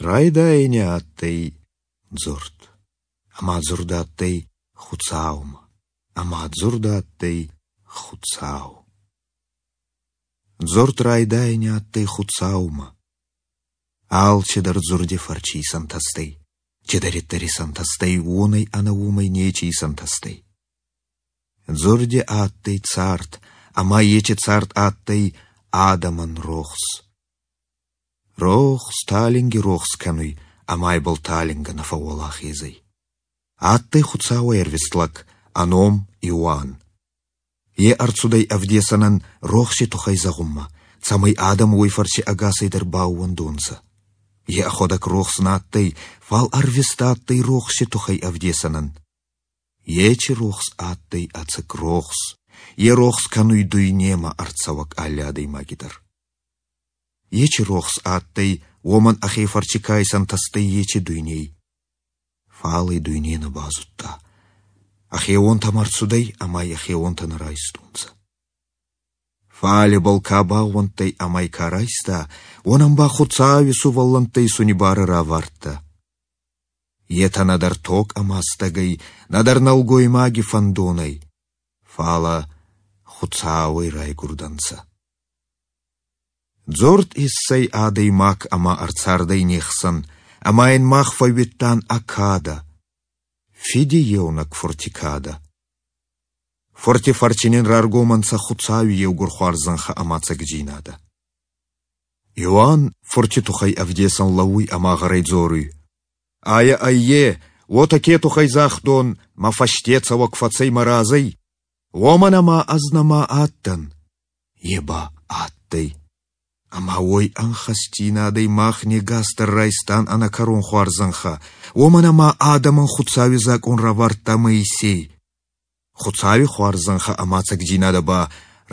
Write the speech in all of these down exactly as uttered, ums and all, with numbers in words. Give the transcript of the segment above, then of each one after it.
Райдайӕни адтӕй Дзурд, ӕма Дзурд адтӕй Хуцаумӕ, ӕма Дзурд адтӕй Хуцау. Дзурд райдайӕни адтӕй Хуцаумӕ. Алчидӕр Дзурди фӕрци исӕнтӕстӕй, цидӕриддӕр исӕнтӕстӕй, уонӕй ӕнӕ уомӕй нечи исӕнтӕстӕй. Дзурди адтӕй цард, ӕма еци цард адтӕй адӕмӕн рохс. Рохс талинги рохс кӕнуй, ӕма ибӕл талингӕ нӕ фӕууӕлахез ӕй. Адтӕй Хуцауӕй ӕрвист лӕг, ӕ ном Иоанн. Е ӕрцудӕй ӕвдесӕнӕн рохси туххӕй зӕгъунмӕ, цӕмӕй адӕм уой фӕрци ӕгасӕйдӕр баууӕндонцӕ. Е ӕхуӕдӕг рохс нӕ адтӕй, фал ӕрвист адтӕй рохси туххӕй ӕвдесӕнӕн. Еци рохс адтӕй ӕцӕг рохс, е рохс кӕнуй дуйнемӕ ӕрцӕуӕг алли адӕймаги дӕр. Еци рохс адтӕй, уомӕн ӕхе фӕрци ка исӕнтӕстӕй, еци дуйней. Фал ӕй дуйне нӕ базудта. Ӕхеуонтӕмӕ ӕрцудӕй, ӕма ӕй ӕхеуонтӕ нӕ райстонцӕ. Фал ибӕл ка баууӕндтӕй ӕма ӕй ка райста, уонӕн ба Хуцауи сувӕллӕнттӕ исуни барӕ равардта. Етӕ нӕдӕр тог ӕма стӕгӕй, нӕдӕр нӕлгоймаги фӕндонӕй, фалӕ Хуцауӕй райгурдӕнцӕ. Дзурд иссӕй адӕймаг ӕма ӕрцардӕй не хсӕн, ӕма ин мах фӕууидтан ӕ кадӕ, Фиди еунӕг Фурти кадӕ. Фурти фӕрци нин раргом ӕнцӕ Хуцауи еугур хуарзӕнхӕ ӕма ӕцӕгдзийнадӕ. Иоанн Фурти туххӕй ӕвдесӕн лӕууй ӕма гъӕрӕй дзоруй: Айӕ ӕй е, уотӕ ке туххӕй загътон, мӕ фӕсте цӕуӕг фӕцӕй мӕ разӕй, уомӕн ӕма ӕз нӕма адтӕн, е ба адтӕй. Ӕма уой ӕнхӕстдзийнадӕй мах не гас дӕр райстан ӕнӕкӕрон хуарзӕнхӕ, уомӕн ӕма адӕмӕн Хуцауи закъон равардта Моисей. Хуцауи хуарзӕнхӕ ӕма ӕцӕгдзийнадӕ ба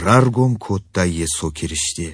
раргом кодта Йесо Киристе.